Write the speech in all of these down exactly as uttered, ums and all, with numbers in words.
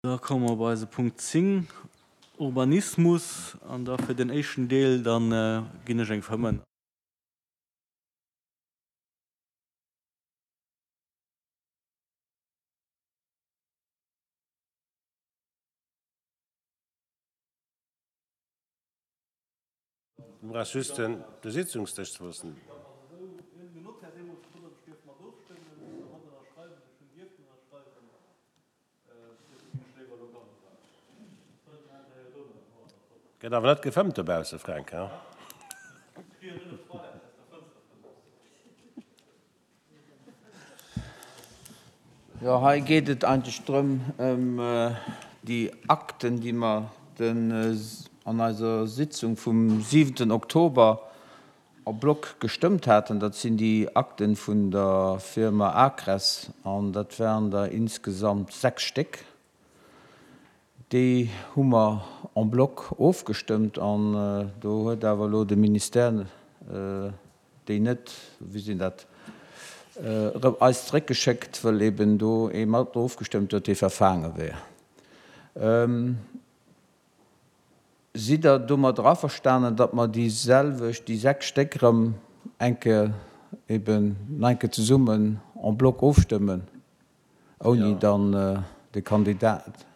Da komme mer bei eise Punkt zéng, Urbanismus. An da fir den éischten Deel, da ginn ech eng Fëmmen. Du brauchs just de Sitzungsdësch ze verloossen. Gëtt awer net gefëmmt dobausse, Fränk, he? Jo, hei geet et eigentlech drëm, ëm déi Akten, déi mer den an eiser Sitzung vum siwenten Oktober en bloc gestëmmt haten. Dat sinn déi Akten vun der Firma Acres an dat waren der insgesamt sechs Stéck. Déi hu mer en bloc ofgestëmmt an do huet awer elo de Ministère déi net, wéi sinn dat, erëm eis zeréckgeschéckt, wëll eben do ee mat ofgestëmmt huet, dee verfaange wär. Sidd Der domadder averstanen, datt mer déi selwecht, déi sechs Stéck erëm eng Kéier eben nach eng Kéier zesummen en bloc ofstëmmen, ouni dann de Kandidat.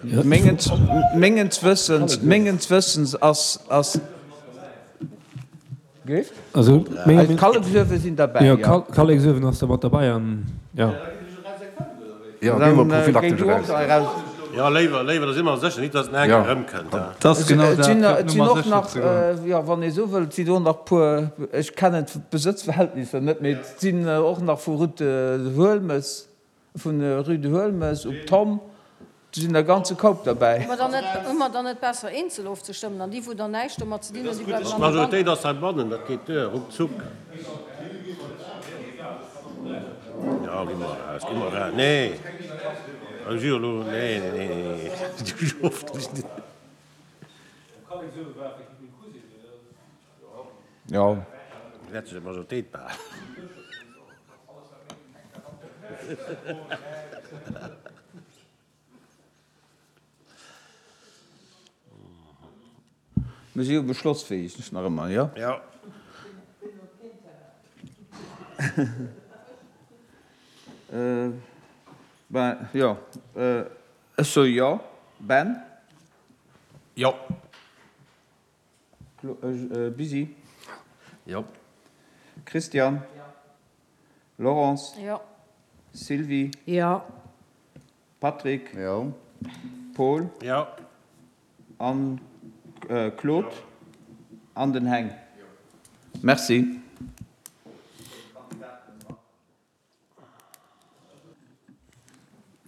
Mengens Wëssens, mengens Wëssens ass, ass. Géif? Also Kalleksuewe sinn derbäi, jo. Kalleksuewen ass da mat derbäi an, jo. Jo, gi mer prophylaktesch eraus. Jo, léiwer, léiwer, da si mer sécher, nit datt en enk erëmkënnt. Et ass genau dat, fir op Et sinn Nummer och sécher nach, ze goen. jo, wann ee sou wëllt, et sinn och nach puer, ech kennen d'Besëtzverhältnisser net, mee et sinn och nach vu Route de Huelmes, Vun Rue de Huelmes op Tomm, do sinn der ganze Koup derbäi. Hu mer dann net, hu mer dann net besser eenzel ofzestëmmen an déi wou dann näischt domat ze dinn hunn, déi bleiwen an der Bann? D'Majoritéit ass heibannen, dat geet duer, ruckzuck. Jo, gi mer eraus, gi mer eraus. Nee, ech jo elo, nee, nee, nee, nee. Jo. Wäert sech d'Majoritéit behalen. Mir si jo beschlossfähig nach ëmmer, jo? Jo. Ben, jo, ech soe jo. Ben? Jo. Busy? Jo. Christian? Laurence? Jo. Sylvie? Jo. Patrick? Jo. Paul? Jo. An Claude? An den Heng? Merci.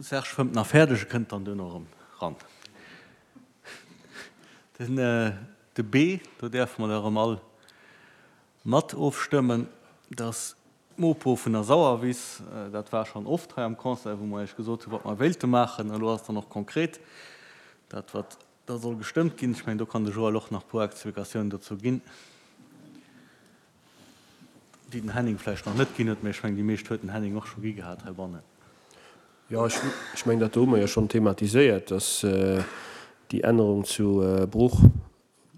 Serge fëmmt nach fäerdeg, e kënnt dann duerno erëm ran. Den de B, do däerfe mer da erëm all mat ofstëmmen, dass d'Mopo vun der Sauerwiss, dat war schonn oft hei am Conseil, wou mer Iech gesot hunn, wat mer wéilte maachen. Elo ass et dann och konkret, dat wat da soll gestëmmt ginn. Ech mengen, do kann de Joël och nach e puer Explikatiounen dozou ginn, déi den Henning vläicht nach net ginn huet, mä ech mengen, déi meescht huet den Henning och scho gi gehat heibannen. Jo, ech mengen, dat do hu mer jo schonn thematiséiert, dass déi Ännerung zu Bruch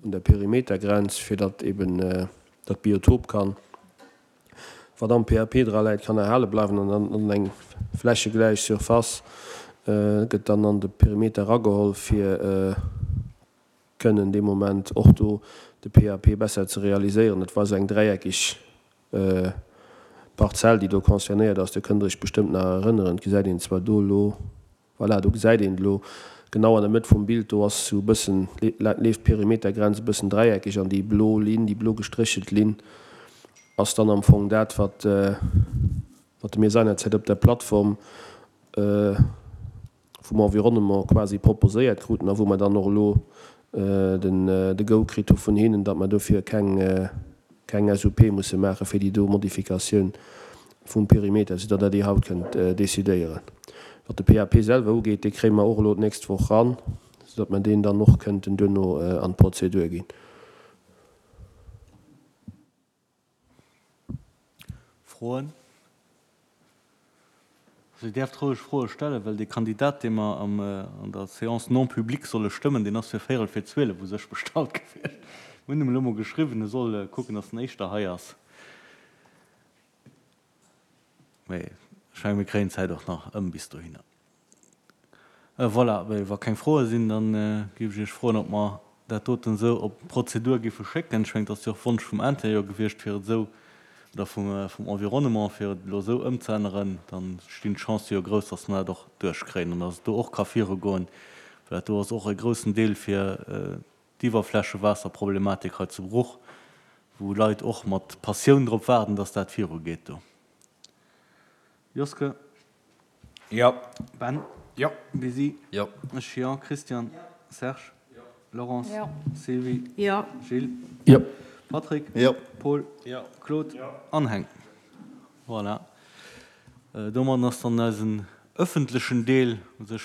un der Perimetergrenz, fir datt eben dat Biotop kann, wat am P A P dra läit, kann erhale bleiwen an dann an eng flächegläich Surface gëtt dann an de Perimeter erageholl, fir kënnen dee Moment och do de P A P besser ze realiséieren. Et war esou eng dräieckeg Parzell, déi do concernéiert ass. Do kënnt Der Iech bestëmmt nach erënneren. Et gesäit een zwar do elo, voilà, do gesäit een et elo genau an der Mëtt vum Bild, do ass esou e bëssen, leeft d'Perimetergrenz e bëssen dräieckeg an déi blo Linn, déi blo gestréchelt Linn ass dann am Fong dat, wat, wat mir seinerzäit op der Plattform vum Environnement quasi proposéiert kruten a wou mer dann och elo den de Go kritt hu vun hinnen, datt mer dofir keng keng S U P musse maache fir déi do Modifikatioun vum Perimeter, soudatt Der déi haut kënnt decidéieren. Wat de P A P selwer ugeet, dee kréie mer och elo d'nächst Woch ran, soudatt mer deen dann och kënnten duerno an d'Prozedur ginn. Froen? Also Dir däerft roueg Froe stellen, well dee Kandidat, dee mer am, an der Séance non publique solle stëmmen, deen ass fir véierel vir zwielef u sech bestallt gewiescht. Mir hunn em elo mol geschriwwen, e soll kucken, datt en éischter hei ass. Mee ech mengen, mir kréien d'Zäit och nach ëm bis dohinner. Voilà, wa keng Froe sinn, da géif ech Iech froen, ob mer dat doten esou op d'Prozedur géife schécken. Ech mengen, et ass jo och Wonsch vum Interieur gewiescht, fir et esou, oder vum, vum Environnement, fir et elo esou ëmzeänneren. Da stinn d'Chancë jo grouss, dass mer dat och duerchkréien an dass et do och ka virugoen, well dat do ass och e groussen Deel fir d'Iwwerflächewaasserproblematik hei zu Bruch, wou Leit och mat Passioun drop waarden, dass dat virugeet do. Joske. Jo. Ben. Jo. Lisi. Jo. Ech jo. Christian. Jo. Serge. Jo. Laurence. Jo. Sylvie. Jo. Gilles. Jo. Patrick. Jo. Paul. Jo. Claude. Jo. An Heng. Voilà. Domadden ass dann eisen ëffentlechen Deel u sech